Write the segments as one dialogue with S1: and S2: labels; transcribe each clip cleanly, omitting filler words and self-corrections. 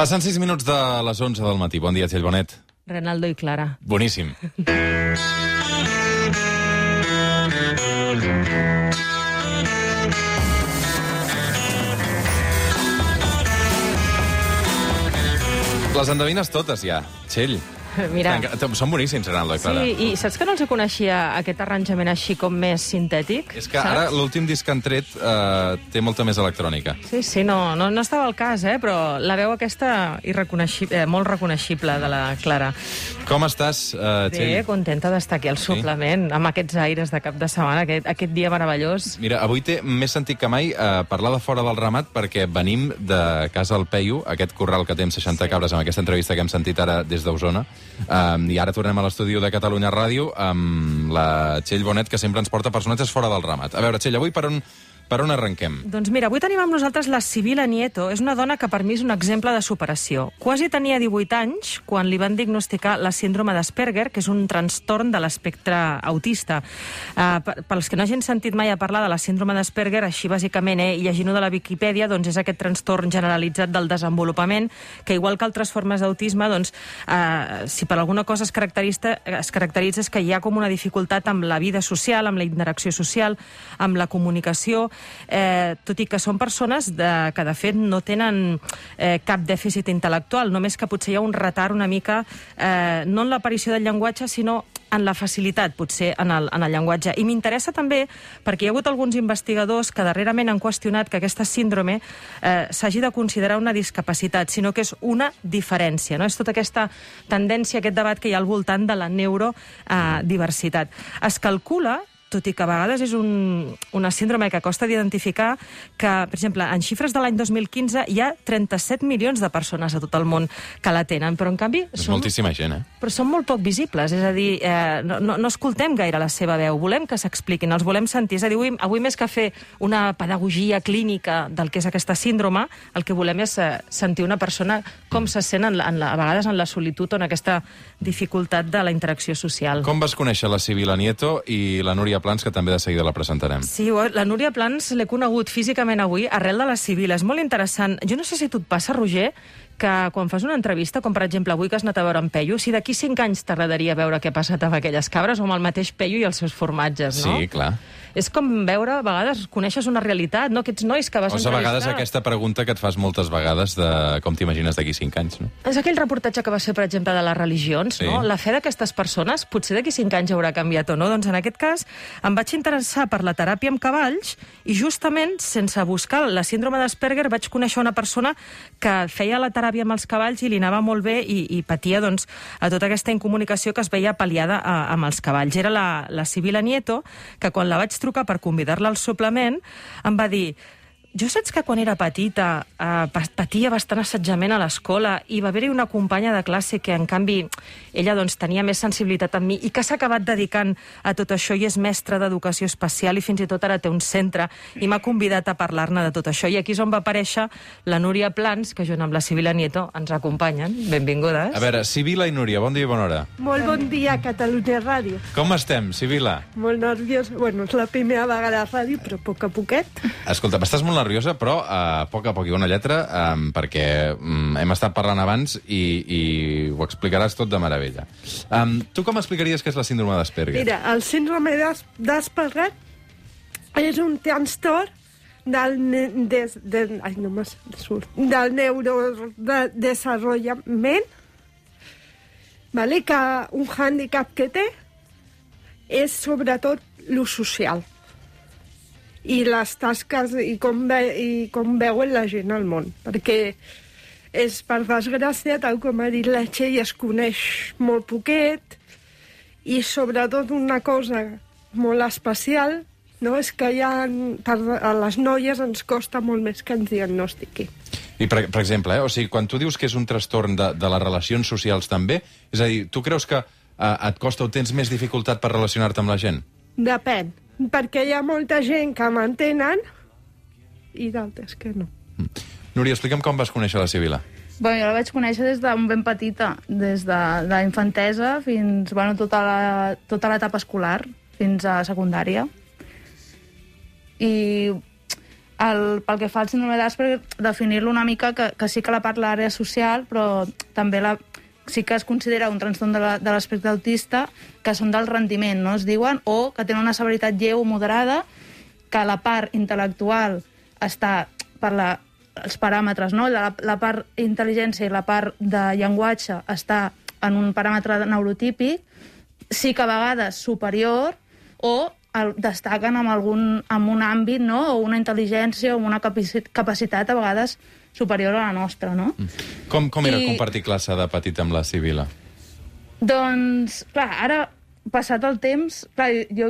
S1: Passen 6 minuts de les 11 del matí. Bon dia, Txell Bonet.
S2: Renaldo i Clara.
S1: Boníssim. Les endevines totes, ja. Txell.
S2: Mira.
S1: Són boníssims, Renaldo i Clara.
S2: Sí, i saps que no els coneixia aquest arranjament així com més sintètic?
S1: És que ara l'últim disc que han tret té molta més electrònica.
S2: Sí, no estava al cas, però la veu aquesta molt reconeixible de la Clara.
S1: Com estàs, Txell?
S2: Bé, contenta d'estar aquí al suplement, amb aquests aires de cap de setmana, aquest dia meravellós.
S1: Mira, avui té més sentit que mai parlar de fora del ramat perquè venim de Casa al Peyu, aquest corral que té amb 60 cabres, amb aquesta entrevista que hem sentit ara des d'Osona. I ara tornem a l'estudi de Catalunya Ràdio amb la Txell Bonet, que sempre ens porta personatges fora del ramat. A veure, Txell, avui per on arrenquem?
S2: Doncs mira, avui tenim amb nosaltres la Sibila Nieto. És una dona que per mi és un exemple de superació. Quasi tenia 18 anys quan li van diagnosticar la síndrome d'Asperger, que és un trastorn de l'espectre autista. Pels que no hagin sentit mai a parlar de la síndrome d'Asperger, així bàsicament, i llegint-ho de la Viquipèdia, doncs és aquest trastorn generalitzat del desenvolupament, que igual que altres formes d'autisme, doncs, si per alguna cosa es caracteritza és que hi ha com una dificultat amb la vida social, amb la interacció social, amb la comunicació, tot i que són persones que de fet no tenen cap dèficit intel·lectual, només que potser hi ha un retard una mica, no en l'aparició del llenguatge, sinó en la facilitat, potser, en el llenguatge. I m'interessa també perquè hi ha hagut alguns investigadors que darrerament han qüestionat que aquesta síndrome s'hagi de considerar una discapacitat, sinó que és una diferència. No? És tota aquesta tendència, aquest debat que hi ha al voltant de la neurodiversitat. Es calcula, tot i que a vegades és una síndrome que costa d'identificar, que, per exemple, en xifres de l'any 2015 hi ha 37 milions de persones a tot el món que la tenen, però en canvi...
S1: És moltíssima gent,
S2: Però són molt poc visibles, és a dir, no escoltem gaire la seva veu, volem que s'expliquin, els volem sentir, és a dir, avui més que fer una pedagogia clínica del que és aquesta síndrome, el que volem és sentir una persona com se sent a vegades en la solitud o en aquesta dificultat de la interacció social.
S1: Com vas conèixer la Sibila Nieto i la Núria Plans, que també de seguida la presentarem?
S2: Sí, la Núria Plans l'he conegut físicament avui arrel de la Sibila. És molt interessant. Jo no sé si tu et passa, Roger, que quan fas una entrevista, com per exemple avui que has anat a veure en Peyu, si d'aquí 5 anys t'agradaria veure què ha passat amb aquelles cabres o amb el mateix Peyu i els seus formatges, no?
S1: Sí, clar.
S2: És com veure, a vegades, coneixes una realitat, no? Aquests nois que vas entrevistar...
S1: a vegades aquesta pregunta que et fas moltes vegades de com t'imagines d'aquí 5 anys, no?
S2: És aquell reportatge que va ser, per exemple, de les religions,
S1: sí,
S2: no? La fe d'aquestes persones, potser d'aquí 5 anys haurà canviat o no. Doncs en aquest cas em vaig interessar per la teràpia amb cavalls i justament, sense buscar la síndrome d'Asperger, vaig conèixer una persona que feia la teràpia amb els cavalls i li anava molt bé i patia, doncs, a tota aquesta incomunicació que es veia pal·liada amb els cavalls. Era la Sibila Nieto, que quan la vaig trucar per convidar-la al suplement, em va dir: jo saps que quan era petita patia bastant assetjament a l'escola i va haver-hi una companya de classe que, en canvi, ella doncs, tenia més sensibilitat amb mi i que s'ha acabat dedicant a tot això i és mestra d'educació especial i fins i tot ara té un centre i m'ha convidat a parlar-ne de tot això. I aquí és on va aparèixer la Núria Plans, que junt amb la Sibila Nieto ens acompanyen. Benvingudes.
S1: A veure, Sibila i Núria, bon dia i bona hora.
S3: Molt bon dia, Catalunya Ràdio.
S1: Com estem, Sibila?
S3: Molt nerviós. Bueno, és la primera vegada a ràdio, però a poc a poquet.
S1: Escolta, estàs molt nerviosa, però a poc hi ha una lletra, perquè hem estat parlant abans i ho explicaràs tot de meravella. Tu com explicaries què és la síndrome d'Asperger?
S3: Mira, el síndrome d'Asperger és un trastorn del neurodesenvolupament, vale? Que un hàndicap que té és sobretot l'ús social i les tasques i com veuen la gent al món, perquè és, per desgràcia, tal com ha dit la Txell, es coneix molt poquet i sobretot una cosa molt especial, no? És que a les noies ens costa molt més que ens diagnostiqui.
S1: I, per exemple, o sigui, quan tu dius que és un trastorn de les relacions socials també, és a dir, tu creus que et costa o tens més dificultat per relacionar-te amb la gent?
S3: Depèn, perquè hi ha molta gent que m'entenen i d'altres que no.
S1: Núria, explica'm com vas conèixer la Sibila.
S4: Bueno, jo la vaig conèixer des de ben petita, des de la infantesa fins, bueno, tota l'etapa escolar, fins a secundària. I pel que fa al síndrome d'Asperger, definir-lo una mica, que sí que la part l'àrea social, però també sí que es considera un trastorn de l'espectre autista, que són del rendiment, no es diuen, o que tenen una severitat lleu o moderada, que la part intel·lectual està per els paràmetres, no? La part intel·ligència i la part de llenguatge està en un paràmetre neurotípic, sí que a vegades superior, o destaquen en un àmbit, no? O una intel·ligència o una capacitat a vegades superior a la nostra, no?
S1: Com era compartir classe de petit amb la Sibil·la?
S4: Doncs, clar, ara, passat el temps, clar, jo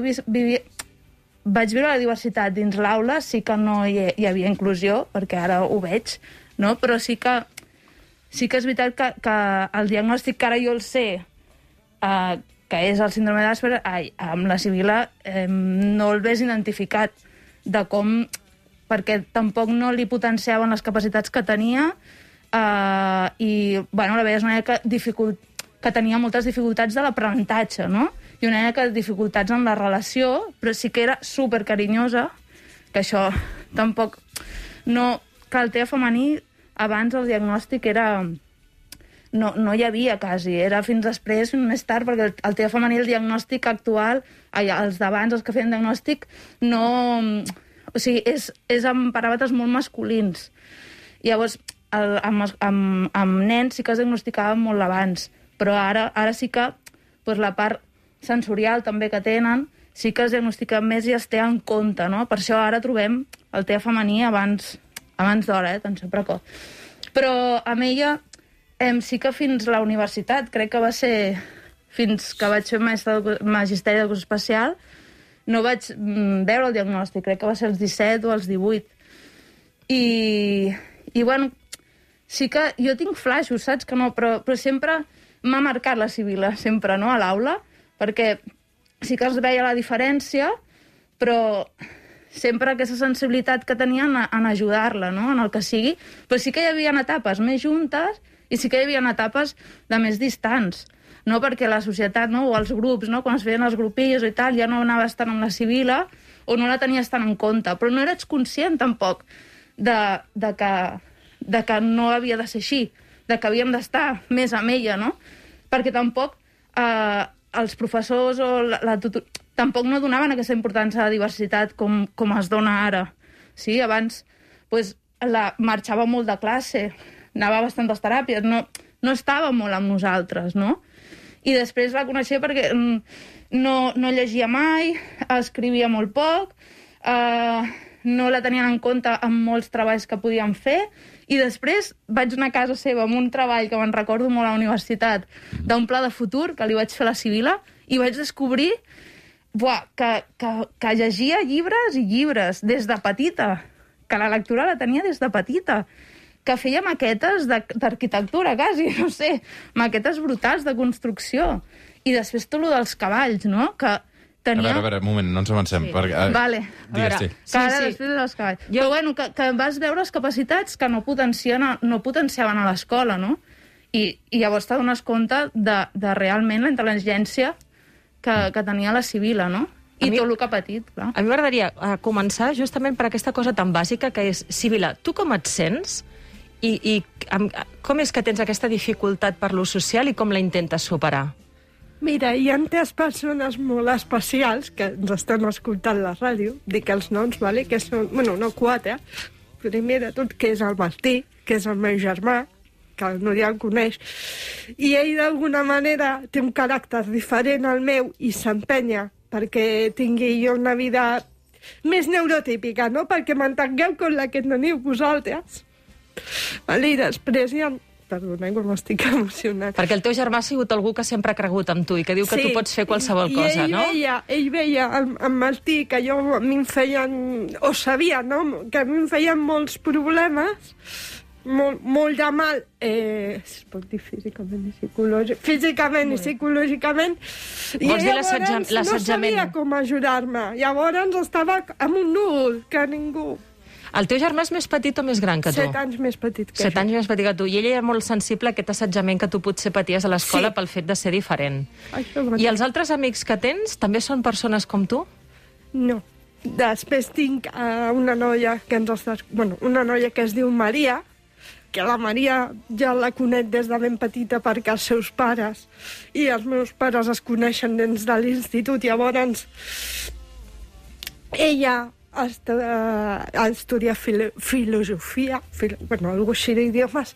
S4: vaig viure la diversitat dins l'aula, sí que no hi havia inclusió, perquè ara ho veig, no? Però sí que és veritat que el diagnòstic que ara jo el sé, que és el síndrome d'Asperger, amb la Sibil·la no el ves identificat de com, perquè tampoc no li potenciaven les capacitats que tenia i, bueno, la veies una mica que tenia moltes dificultats de l'aprenentatge, no? I una mica de dificultats en la relació, però sí que era supercarinyosa, que això tampoc no... Que el TEA femení, abans el diagnòstic era... No hi havia quasi, era fins després, fins més tard, perquè el TEA femení, el diagnòstic actual, els d'abans, els que feien diagnòstic, no... O sigui, és amb paràmetres molt masculins. Llavors, amb nens sí que es diagnosticaven molt abans, però ara sí que la part sensorial també que tenen, sí que es diagnostica més i es té en compte, no? Per això ara trobem el TEA femení abans d'hora, atenció precoç. Però amb ella sí que fins la universitat, crec que va ser fins que vaig fer magisteri d'educació especial, no vaig veure el diagnòstic, crec que va ser als 17 o als 18. I bueno, sí que jo tinc flaixos, saps que no, però sempre m'ha marcat la Sibil·la, sempre, no?, a l'aula, perquè sí que es veia la diferència, però sempre aquesta sensibilitat que tenia en ajudar-la, no?, en el que sigui. Però sí que hi havia etapes més juntes i sí que hi havia etapes de més distants, no?, perquè la societat, no?, o els grups, no?, quan es feien els grupillos i tal, ja no anaves tant amb la Sibil·la o no la tenies tant en compte, però no eres conscient tampoc de que no havia de ser així, de que havíem d'estar més amb ella, no? Perquè tampoc els professors o la tutor tampoc no donaven aquesta importància a la diversitat com es dona ara. Sí, abans marxava molt de classe, anava a bastantes teràpies, no estava molt amb nosaltres, no? I després la coneixia perquè no llegia mai, escrivia molt poc, no la tenien en compte en molts treballs que podíem fer, i després vaig anar a casa seva amb un treball que me'n recordo molt a la universitat, d'un pla de futur que li vaig fer a la Sibil·la, i vaig descobrir que llegia llibres i llibres des de petita, que la lectura la tenia des de petita, que feia maquetes d'arquitectura, quasi, no sé, maquetes brutals de construcció. I després tot el dels cavalls, no?, que tenia...
S1: A veure, un moment, no ens avancem.
S4: Sí.
S1: Perquè,
S4: vale.
S1: Digues, sí.
S4: Que ara després dels cavalls. Però bueno, que vas veure les capacitats que no potenciaven a l'escola, no? I llavors t'adones compte de realment la intel·ligència que tenia la Sibil·la, no? I tot el que ha patit, clar.
S2: A mi m'agradaria començar justament per aquesta cosa tan bàsica que és, Sibil·la, tu com et sents i com és que tens aquesta dificultat per l'ús social i com la intentes superar?
S3: Mira, hi ha 3 persones molt especials que ens estan escoltant la ràdio, dic els noms, vale? Que són, bueno, no 4, primer de tot, que és el Martí, que és el meu germà, que el Núria el coneix, i ell d'alguna manera té un caràcter diferent al meu i s'empenya perquè tingui jo una vida més neurotípica, no? Perquè m'entengueu com la que teniu vosaltres. Vale, i després hi ha... Perdona, que m'estic emocionant.
S2: Perquè el teu germà ha sigut algú que sempre ha cregut en tu i que diu que tu pots fer qualsevol cosa, no?
S3: Ell veia en Martí que jo a mi em feien... O sabia, no?, que a mi em feien molts problemes, molt de mal, es pot dir físicament i psicològicament. Físicament i psicològicament.
S2: Vols dir l'assetjament?
S3: No sabia com ajudar-me. Llavors estava amb un núvol que ningú...
S2: El teu germà és més petit o més gran que tu?
S3: 7 anys més petit que
S2: 7 anys més petit que tu. I ell era molt sensible a aquest assetjament que tu potser paties a l'escola pel fet de ser diferent. I els altres amics que tens també són persones com tu?
S3: No. Després tinc una noia que una noia que es diu Maria, que la Maria ja la conec des de ben petita perquè els seus pares i els meus pares es coneixen des de l'institut. Llavors, ella ha estudiat filosofia, algo així d'idiomes.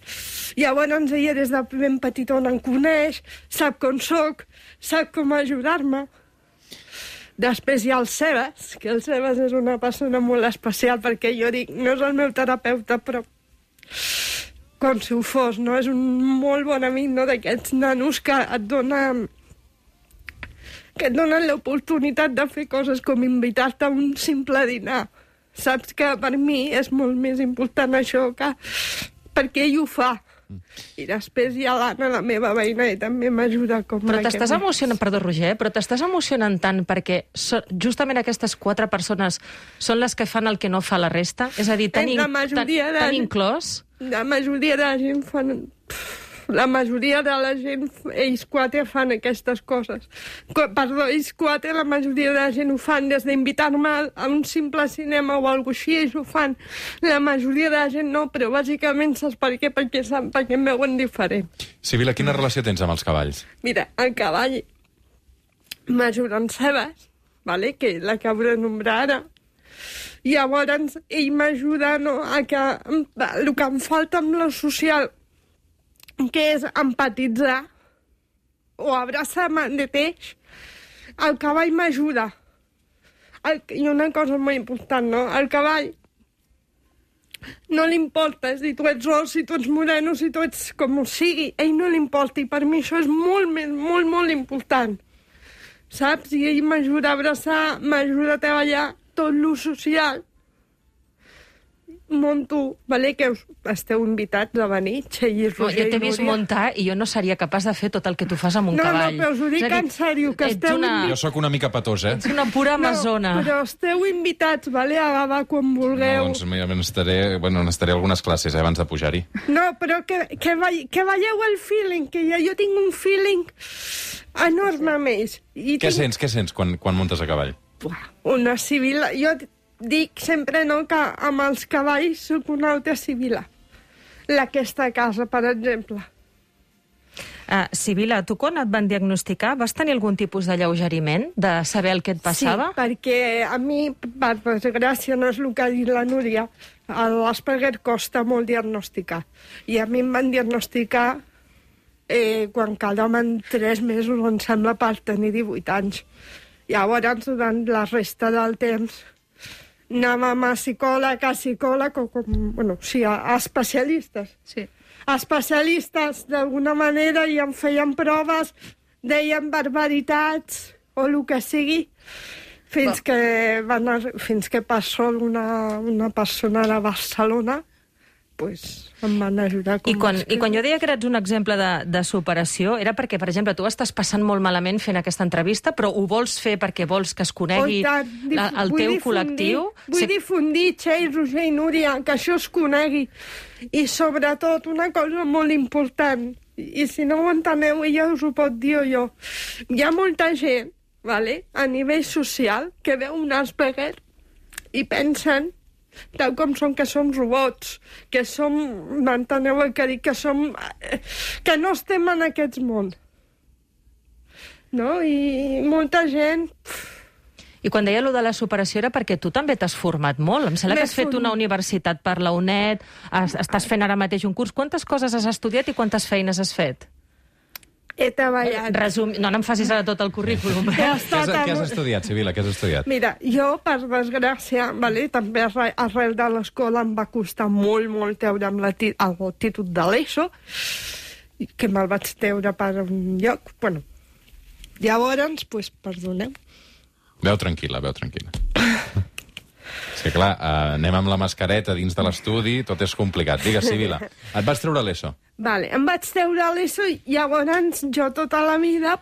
S3: Llavors, ella des de ben petitona em coneix, sap com soc, sap com ajudar-me. Després hi ha el Sebas, que el Sebas és una persona molt especial, perquè jo dic, no és el meu terapeuta, però com si ho fos, no? És un molt bon amic, no?, d'aquests nanos que et donen l'oportunitat de fer coses com invitar-te a un simple dinar. Saps que per mi és molt més important això que perquè ell ho fa. I després hi ha l'Anna, la meva veïna, i també m'ajuda com...
S2: Però t'estàs emocionant, perdó, Roger, però t'estàs emocionant tant perquè justament aquestes 4 persones són les que fan el que no fa la resta? És a dir, tan inclòs? La majoria de la gent fan... La majoria de la gent, ells 4 fan aquestes coses. Perdó, ells 4, la majoria de la gent ho fan des d'invitar-me a un simple cinema o alguna cosa així, ells ho fan. La majoria de la gent no, però bàsicament saps per què? Perquè em veuen diferent.
S1: Sibila, quina relació tens amb els cavalls?
S3: Mira, el cavall m'ajuda en Sebas, vale? Que l'acabo de nombrar ara. Llavors, ell m'ajuda, no, a que el que em falta amb lo social, que és empatitzar o abraçar-me de teix, el cavall m'ajuda. I una cosa molt important, no? El cavall no li importa si tu ets ros, si tu ets moreno, si tu ets com ho sigui. Ell no li importa, i per mi això és molt important. Saps? I ell m'ajuda a abraçar, m'ajuda a treballar tot lo social. Monto, vale, que esteu invitats a venir, Txell i Roger i Núria.
S2: Jo t'he vist muntar i jo no seria capaç de fer tot el que tu fas amb un cavall.
S3: No, però us ho dic en sèrio, que esteu...
S1: Jo sóc una mica petós,
S2: Ets una pura amazona.
S3: No, però esteu invitats, vale, a Gavà quan vulgueu.
S1: No, doncs mira, n'estaré algunes classes, abans de pujar-hi.
S3: No, però que veieu el feeling, que jo tinc un feeling enorme amb ells.
S1: Què sents quan muntes a cavall?
S3: Una civil... Jo dic sempre, no, que amb els cavalls soc una altra civila. Aquesta casa, per exemple.
S2: Sibila, tu quan et van diagnosticar vas tenir algun tipus d'alleugeriment de saber el que et passava?
S3: Sí, perquè a mi, per desgràcia, no és el que ha dit la Núria, l'Asperger costa molt diagnosticar. I a mi em van diagnosticar quan quedaven 3 mesos, em sembla, per tenir 18 anys. Llavors, durant la resta del temps, anàvem a psicòleg, a especialistes.
S4: Sí.
S3: Especialistes, d'alguna manera, i em feien proves, deien barbaritats, o el que sigui, fins que per sort una persona de Barcelona em van ajudar.
S2: I quan jo deia que eres un exemple de superació, era perquè, per exemple, tu estàs passant molt malament fent aquesta entrevista, però ho vols fer perquè vols que es conegui el teu col·lectiu?
S3: Vull difundir, Txell, Roger i Núria, que això es conegui. I sobretot, una cosa molt important, i si no ho enteneu, ella us ho pot dir jo. Hi ha molta gent, a nivell social, que veu un Asperger i pensen tal com som, que som robots, que som, m'enteneu el que dic, que no estem en aquest món. No? I molta gent...
S2: I quan deia allò de la superació era perquè tu també t'has format molt. Em sembla que has fet una universitat per la UNED, estàs fent ara mateix un curs. Quantes coses has estudiat i quantes feines has fet?
S3: He treballat.
S2: No em facis ara tot el currículum.
S1: Què has estudiat, Sibila? Què has estudiat?
S3: Mira, jo, per desgràcia, també arrel de l'escola em va costar molt treure amb el títol de l'ESO, que me'l vaig treure per un lloc. Llavors, perdoneu.
S1: Veu tranquil·la. És que, clar, anem amb la mascareta dins de l'estudi, tot és complicat. Digues, Sibila, et vas treure l'ESO?
S3: Vale, em vaig treure l'ESO i llavors jo tota la vida,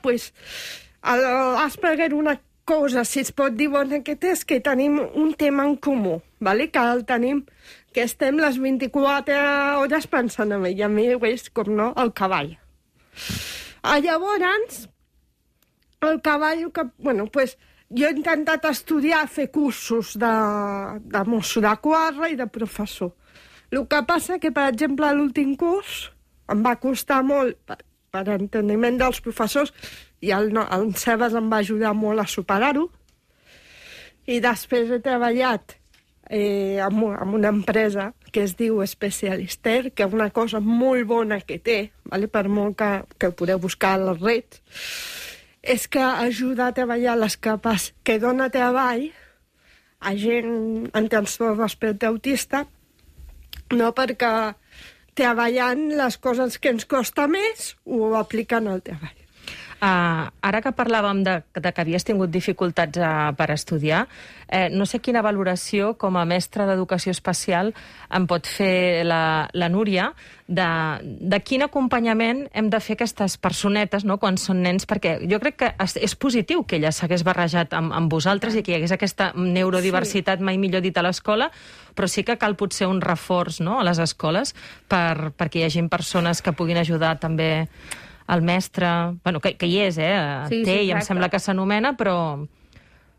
S3: l'Asperger, una cosa, si es pot dir bona que té, és que tenim un tema en comú, que el tenim, que estem les 24 hores pensant en ell, i a mi és, com no, el cavall. Llavors, el cavall, Jo he intentat estudiar, fer cursos de mosso de quadre i de professor. El que passa que, per exemple, l'últim curs em va costar molt per enteniment dels professors i el Sebas em va ajudar molt a superar-ho. I després he treballat amb una empresa que es diu Specialister, que és una cosa molt bona que té, per molt que podeu buscar a les reds, és que ajuda a treballar les capes que dona treball a gent en trastorn d'espectre autista, no perquè treballant les coses que ens costa més ho apliquen al treball.
S2: Ara que parlàvem de que havies tingut dificultats per estudiar, no sé quina valoració com a mestra d'educació especial em pot fer la Núria de quin acompanyament hem de fer aquestes personetes, no?, quan són nens, perquè jo crec que és positiu que ella s'hagués barrejat amb vosaltres i que hi hagués aquesta neurodiversitat, mai millor dit, a l'escola, però sí que cal potser un reforç, no?, a les escoles perquè hi hagi persones que puguin ajudar també el mestre, bueno, que hi és, té, i em sembla que s'anomena, però...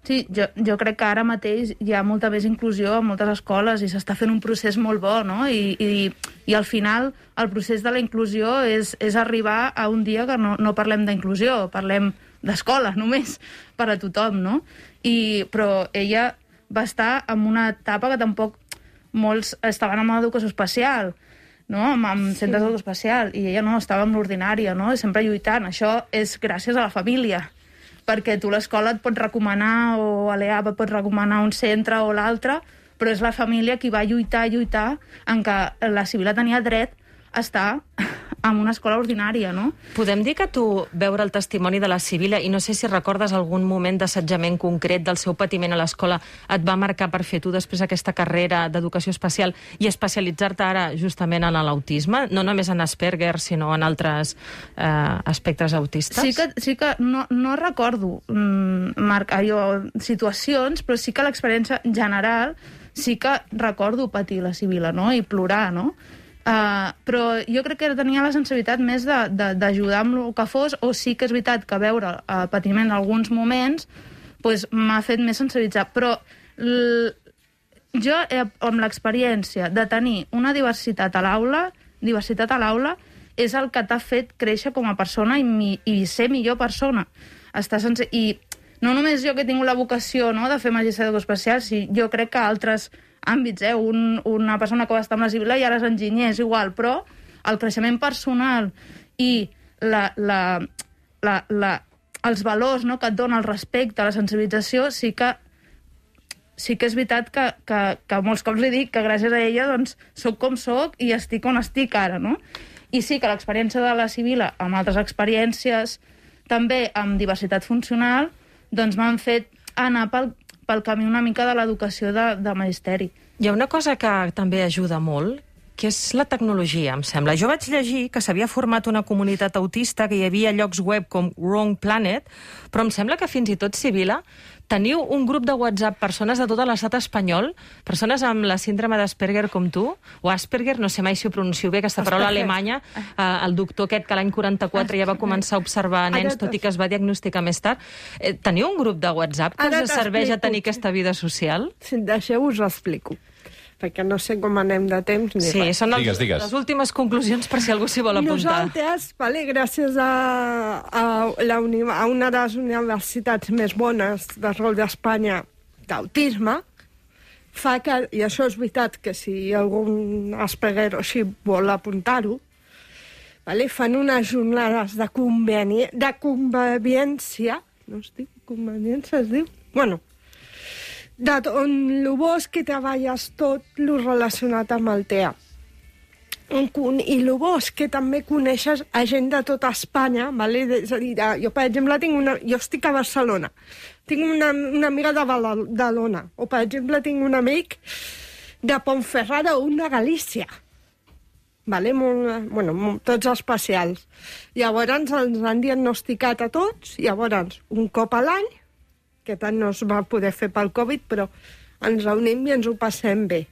S4: Sí, jo crec que ara mateix hi ha molta més inclusió en moltes escoles i s'està fent un procés molt bo, no? I al final el procés de la inclusió és arribar a un dia que no parlem d'inclusió, parlem d'escola només, per a tothom, no? Però ella va estar en una etapa que tampoc molts estaven amb l'educació especial, no? Amb centres d'educació especial, i ella no, estava amb l'ordinària, no? Sempre lluitant. Això és gràcies a la família, perquè tu l'escola et pot recomanar, o a l'EAP et pot recomanar un centre o l'altre, però és la família qui va lluitar en què la Sibil·la tenia dret a estar en una escola ordinària, no?
S2: Podem dir que tu, veure el testimoni de la Sibil·la, i no sé si recordes algun moment d'assetjament concret del seu patiment a l'escola, et va marcar per fer tu després aquesta carrera d'educació especial i especialitzar-te ara justament en l'autisme, no només en Asperger, sinó en altres espectres autistes?
S4: Sí que no recordo marcar jo situacions, però sí que l'experiència general sí que recordo patir la Sibil·la, no?, i plorar, no? Però jo crec que tenia la sensibilitat més d'ajudar amb el que fos, o sí que és veritat que veure el patiment en alguns moments m'ha fet més sensibilitzar. Però jo, amb l'experiència de tenir una diversitat a l'aula, és el que t'ha fet créixer com a persona i ser millor persona. I no només jo que he tingut la vocació, no?, de fer magistrat d'educació especial, jo crec que altres àmbits, una persona que va estar amb la Sibil·la i ara és enginyer, és igual, però el creixement personal i els valors, no?, que et dona el respecte, la sensibilització, sí que és veritat que molts cops li dic que gràcies a ella doncs soc com soc i estic on estic ara, no? I sí que l'experiència de la Sibil·la, amb altres experiències, també amb diversitat funcional, doncs m'han fet anar pel camí una mica de l'educació de magisteri.
S2: Hi ha una cosa que també ajuda molt, que és la tecnologia, em sembla. Jo vaig llegir que s'havia format una comunitat autista, que hi havia llocs web com Wrong Planet, però em sembla que fins i tot, Sibil·la, teniu un grup de WhatsApp, persones de tot l'estat espanyol, persones amb la síndrome d'Asperger com tu, o Asperger, no sé mai si ho pronuncio bé, aquesta paraula alemanya, el doctor aquest que l'any 44 ja va començar a observar nens, tot i que es va diagnosticar més tard. Teniu un grup de WhatsApp que us serveix a tenir aquesta vida social?
S3: Si em deixeu, us ho explico, perquè no sé com anem de temps ni res.
S2: Són les últimes conclusions per si algú s'hi vol apuntar.
S3: Nosaltres, gràcies a una de les universitats més bones de rol d'Espanya d'autisme, fa que, i això és veritat, que si algun Asperger o així vol apuntar-ho, fan unes jornades de convivència, no es diu conveniència, es diu? Bueno, on el bo és que treballes tot el relacionat amb el TEA. I el bo és que també coneixes a gent de tota Espanya, és a dir, jo, per exemple, jo estic a Barcelona, tinc una amiga de Badalona, o, per exemple, tinc un amic de Ponferrada o un de Galícia, tots especials. Llavors ens han diagnosticat a tots, llavors un cop a l'any, que tant no es va poder fer pel Covid, però ens reunim i ens ho passem bé.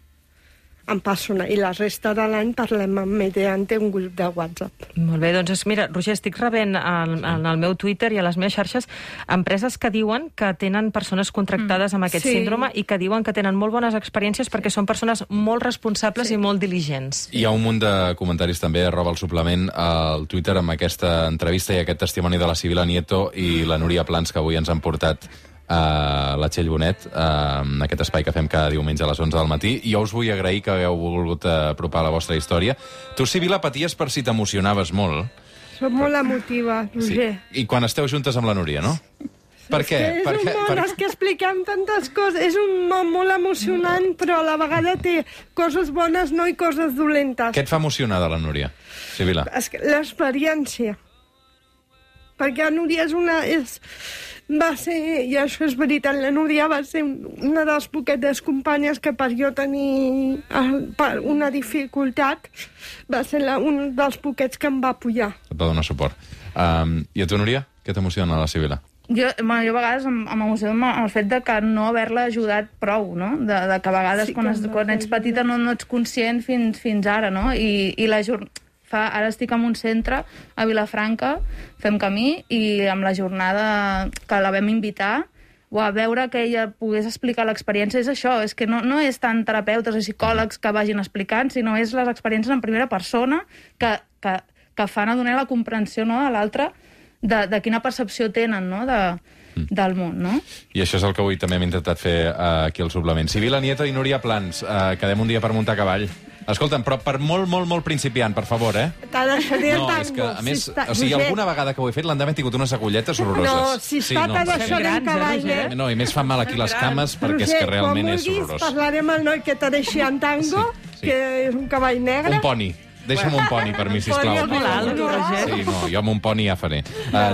S3: en persona, i la resta de l'any parlem mediante un grup de WhatsApp.
S2: Molt bé, doncs mira, Roger, estic rebent en el meu Twitter i a les meves xarxes empreses que diuen que tenen persones contractades amb aquest síndrome i que diuen que tenen molt bones experiències perquè són persones molt responsables i molt diligents.
S1: Hi ha un munt de comentaris també, @el suplement, al Twitter amb aquesta entrevista i aquest testimoni de la Sibil·la Nieto i la Núria Plans, que avui ens han portat a la Txell Bonet, en aquest espai que fem cada diumenge a les 11 del matí. Jo us vull agrair que hagueu volgut apropar la vostra història. Tu, Sibil·la, paties per si t'emocionaves molt.
S3: Soc molt emotiva, Roger.
S1: Sí. I quan esteu juntes amb la Núria, no? Per què?
S3: És que expliquem tantes coses. És un món molt emocionant, però a la vegada té coses bones, no, i coses dolentes.
S1: Què et fa emocionar de la Núria, Sibil·la?
S3: L'experiència. Perquè la Núria va ser, i això és veritat, la Núria va ser una de les poquetes companyes que per jo tenir una dificultat va ser un dels poquets que em va apoyar.
S1: Et va donar suport. I a tu, Núria? Què t'emociona la Sibil·la?
S4: Jo a vegades m'emociona el fet de que no haver-la ajudat prou, no? De que a vegades quan ets petita no ets conscient fins ara, no? I ara estic en un centre a Vilafranca, fem camí, i amb la jornada que la vam invitar, a veure que ella pogués explicar l'experiència, és això, és que no és tant terapeutes o psicòlegs que vagin explicant, sinó és les experiències en primera persona que fan a donar la comprensió, no, a l'altre de quina percepció tenen, no, del món, no?
S1: I això és el que avui també hem intentat fer aquí al suplement. Sibil·la Nieto i Núria Plans, quedem un dia per muntar a cavall. Escolta'm, però per molt principiant, per favor,
S3: T'ha deixat el tango.
S1: No, és que, a més, o sigui, alguna vegada que ho he fet l'han d'haver tingut unes agulletes horroroses.
S3: No, si t'ha deixat el cavall,
S1: No, i més fan mal aquí les cames perquè és que realment és horrorós.
S3: Quan vulguis, parlarem amb el noi que t'ha deixat en tango, que és un cavall negre.
S1: Un poni. Deixa'm un poni per mi, sisplau. Sí, no, jo amb un poni ja faré.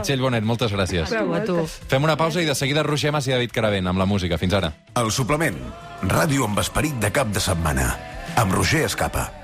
S1: Txell Bonet, moltes gràcies. Fem una pausa i de seguida Roger Mas i David Caravent amb la música. Fins ara.
S5: El suplement. Ràdio amb esperit de cap de setmana. Amb Roger Escapa.